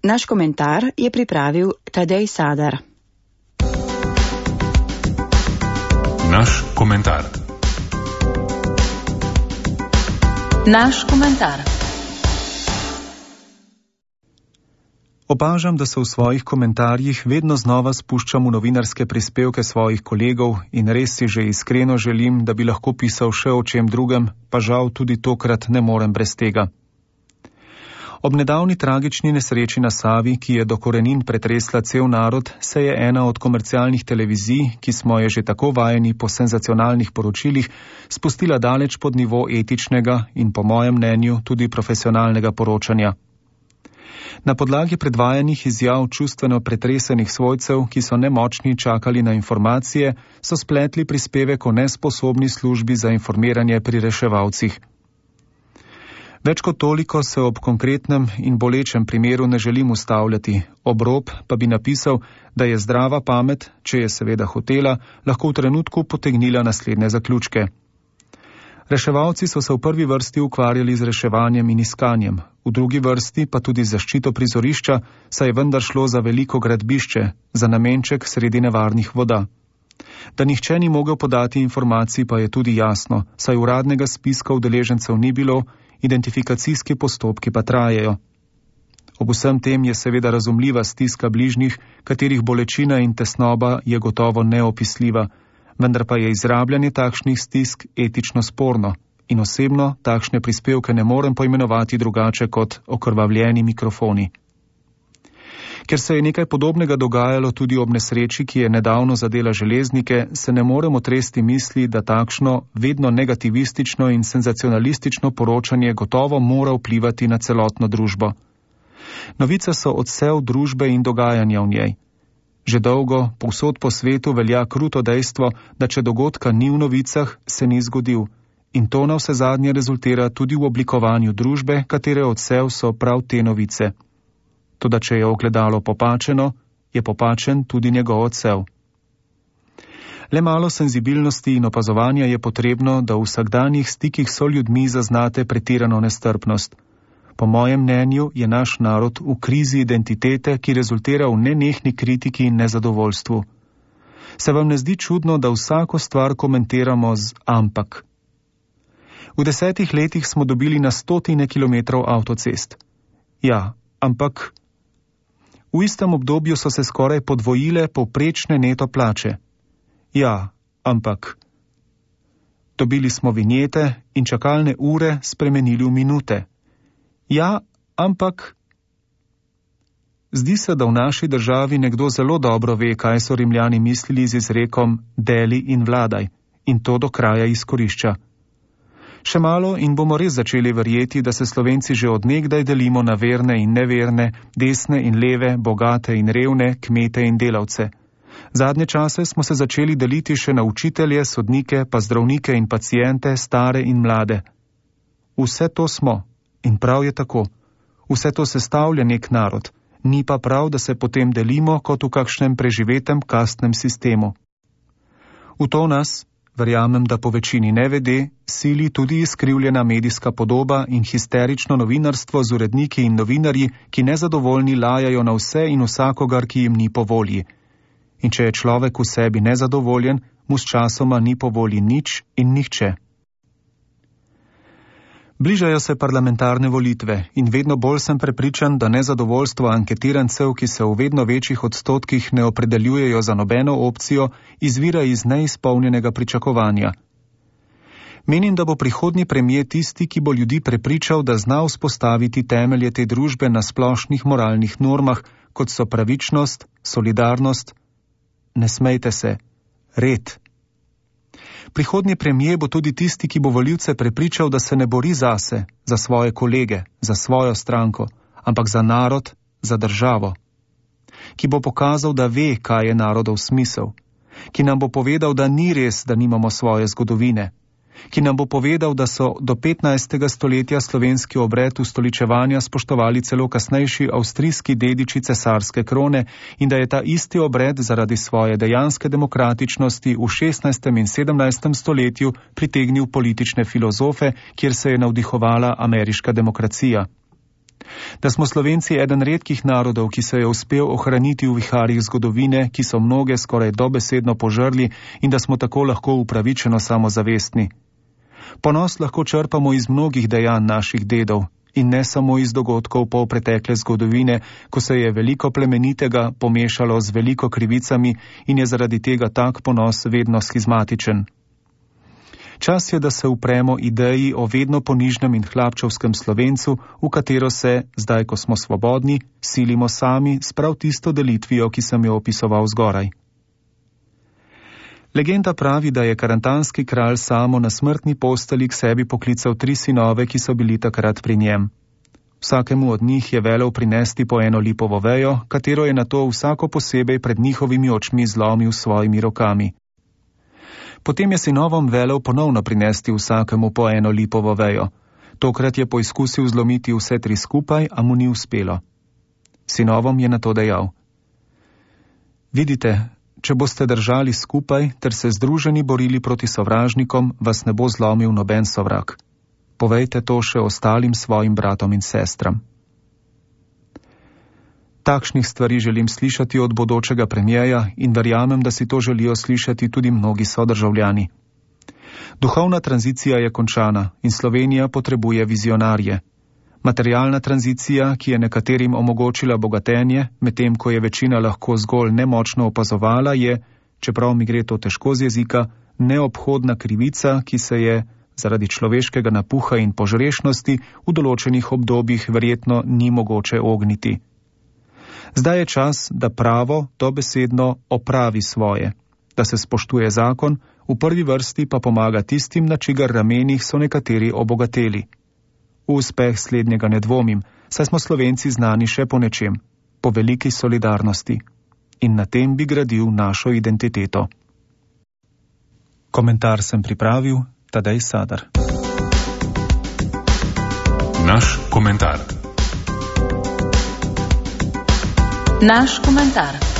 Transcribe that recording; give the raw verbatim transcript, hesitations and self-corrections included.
Naš komentar je pripravil Tadej Sadar. Naš komentar. Naš komentar. Opažam, da se v svojih komentarjih vedno znova spuščam v novinarske prispevke svojih kolegov in res si že iskreno želim, da bi lahko pisal še o čem drugem, pa žal tudi tokrat ne morem brez tega. Ob nedavni tragični nesreči na Savi, ki je do korenin pretresla cel narod, se je ena od komercialnih televizij, ki smo je že tako vajeni po senzacionalnih poročilih, spustila daleč pod nivo etičnega in po mojem mnenju tudi profesionalnega poročanja. Na podlagi predvajanih izjav čustveno pretresenih svojcev, ki so nemočni čakali na informacije, so spletli prispevek o nesposobni službi za informiranje pri reševalcih. Več kot toliko se ob konkretnem in bolečem primeru ne želim ustavljati, ob rob pa bi napisal, da je zdrava pamet, če je seveda hotela, lahko v trenutku potegnila naslednje zaključke. Reševalci so se v prvi vrsti ukvarjali z reševanjem in iskanjem, v drugi vrsti pa tudi zaščito prizorišča, saj je vendar šlo za veliko gradbišče, za namenček sredi nevarnih voda. Da nihče ni mogel podati informacij, pa je tudi jasno, saj uradnega spiska udeležencev ni bilo, identifikacijski postopki pa trajajo. Ob vsem tem je seveda razumljiva stiska bližnjih, katerih bolečina in tesnoba je gotovo neopisljiva, vendar pa je izrabljanje takšnih stisk etično sporno in osebno takšne prispevke ne morem poimenovati drugače kot okrvavljeni mikrofoni. Ker se je nekaj podobnega dogajalo tudi ob nesreči, ki je nedavno zadela železnike, se ne moremo tresti misli, da takšno, vedno negativistično in senzacionalistično poročanje gotovo mora vplivati na celotno družbo. Novice so odsev družbe in dogajanja v njej. Že dolgo, povsod po svetu velja kruto dejstvo, da če dogodka ni v novicah, se ni zgodil. In to navsezadnje rezultira tudi v oblikovanju družbe, katere odsev so prav te novice. Toda če je ogledalo popačeno, je popačen tudi njegov odsev. Le malo senzibilnosti in opazovanja je potrebno, da v vsakdanjih stikih s ljudmi zaznate pretirano nestrpnost. Po mojem mnenju je naš narod v krizi identitete, ki rezultira v nenehni kritiki in nezadovoljstvu. Se vam ne zdi čudno, da vsako stvar komentiramo z ampak? V desetih letih smo dobili na stotine kilometrov avtocest. Ja, ampak v istem obdobju so se skoraj podvojile povprečne neto plače. Ja, ampak dobili smo vinjete in čakalne ure spremenili v minute. Ja, ampak zdi se, da v naši državi nekdo zelo dobro ve, kaj so Rimljani mislili z izrekom deli in vladaj, in to do kraja izkorišča. Še malo in bomo res začeli verjeti, da se Slovenci že od nekdaj delimo na verne in neverne, desne in leve, bogate in revne, kmete in delavce. Zadnje čase smo se začeli deliti še na učitelje, sodnike, pa zdravnike in paciente, stare in mlade. Vse to smo. In prav je tako. Vse to sestavlja nek narod, ni pa prav, da se potem delimo kot v kakšnem preživetem kastnem sistemu. V to nas, verjamem, da po večini nevede, sili tudi izkrivljena medijska podoba in histerično novinarstvo z uredniki in novinarji, ki nezadovoljni lajajo na vse in vsakogar, ki jim ni po volji. In če je človek v sebi nezadovoljen, mu s časoma ni po volji nič in nihče. Bližajo se parlamentarne volitve in vedno bolj sem prepričan, da nezadovoljstvo anketirancev, ki se v vedno večjih odstotkih ne opredeljujejo za nobeno opcijo, izvira iz neizpolnjenega pričakovanja. Menim, da bo prihodnji premier tisti, ki bo ljudi prepričal, da zna vzpostaviti temelje te družbe na splošnih moralnih normah, kot so pravičnost, solidarnost, ne smejte se, red. Prihodnji premier bo tudi tisti, ki bo volivce prepričal, da se ne bori zase, za svoje kolege, za svojo stranko, ampak za narod, za državo. Ki bo pokazal, da ve, kaj je narodov smisel. Ki nam bo povedal, da ni res, da nimamo svoje zgodovine. Ki nam bo povedal, da so do petnajstega stoletja slovenski obred ustoličevanja spoštovali celo kasnejši avstrijski dediči cesarske krone in da je ta isti obred zaradi svoje dejanske demokratičnosti v šestnajstem in sedemnajstem stoletju pritegnil politične filozofe, kjer se je navdihovala ameriška demokracija. Da smo Slovenci eden redkih narodov, ki se je uspel ohraniti v viharjih zgodovine, ki so mnoge skoraj dobesedno požrli in da smo tako lahko upravičeno samozavestni. Ponos lahko črpamo iz mnogih dejanj naših dedov in ne samo iz dogodkov polpretekle zgodovine, ko se je veliko plemenitega pomešalo z veliko krivicami in je zaradi tega tak ponos vedno schizmatičen. Čas je, da se upremo ideji o vedno ponižnem in hlapčevskem Slovencu, v katero se, zdaj ko smo svobodni, silimo sami s prav tisto delitvijo, ki sem jo opisoval zgoraj. Legenda pravi, da je karantanski kralj Samo na smrtni posteli k sebi poklical tri sinove, ki so bili takrat pri njem. Vsakemu od njih je velel prinesti po eno lipovo vejo, katero je nato vsako posebej pred njihovimi očmi zlomil s svojimi rokami. Potem je sinovom velel ponovno prinesti vsakemu po eno lipovo vejo. Tokrat je poizkusil zlomiti vse tri skupaj, a mu ni uspelo. Sinovom je nato dejal: Vidite, če boste držali skupaj ter se združeni borili proti sovražnikom, vas ne bo zlomil noben sovrag. Povejte to še ostalim svojim bratom in sestram. Takšnih stvari želim slišati od bodočega premierja in verjamem, da si to želijo slišati tudi mnogi sodržavljani. Duhovna tranzicija je končana in Slovenija potrebuje vizionarje. Materialna tranzicija, ki je nekaterim omogočila bogatenje, medtem ko je večina lahko zgolj nemočno opazovala, je, čeprav mi gre to težko z jezika, neobhodna krivica, ki se je zaradi človeškega napuha in požrešnosti v določenih obdobjih verjetno ni mogoče ogniti. Zdaj je čas, da pravo dobesedno opravi svoje, da se spoštuje zakon, v prvi vrsti pa pomaga tistim, na čigar ramenih so nekateri obogateli. V uspeh slednjega ne dvomim, saj smo Slovenci znani še po nečem, po veliki solidarnosti. In na tem bi gradil našo identiteto. Komentar sem pripravil Tadej Sadar. Naš komentar. Naš komentar.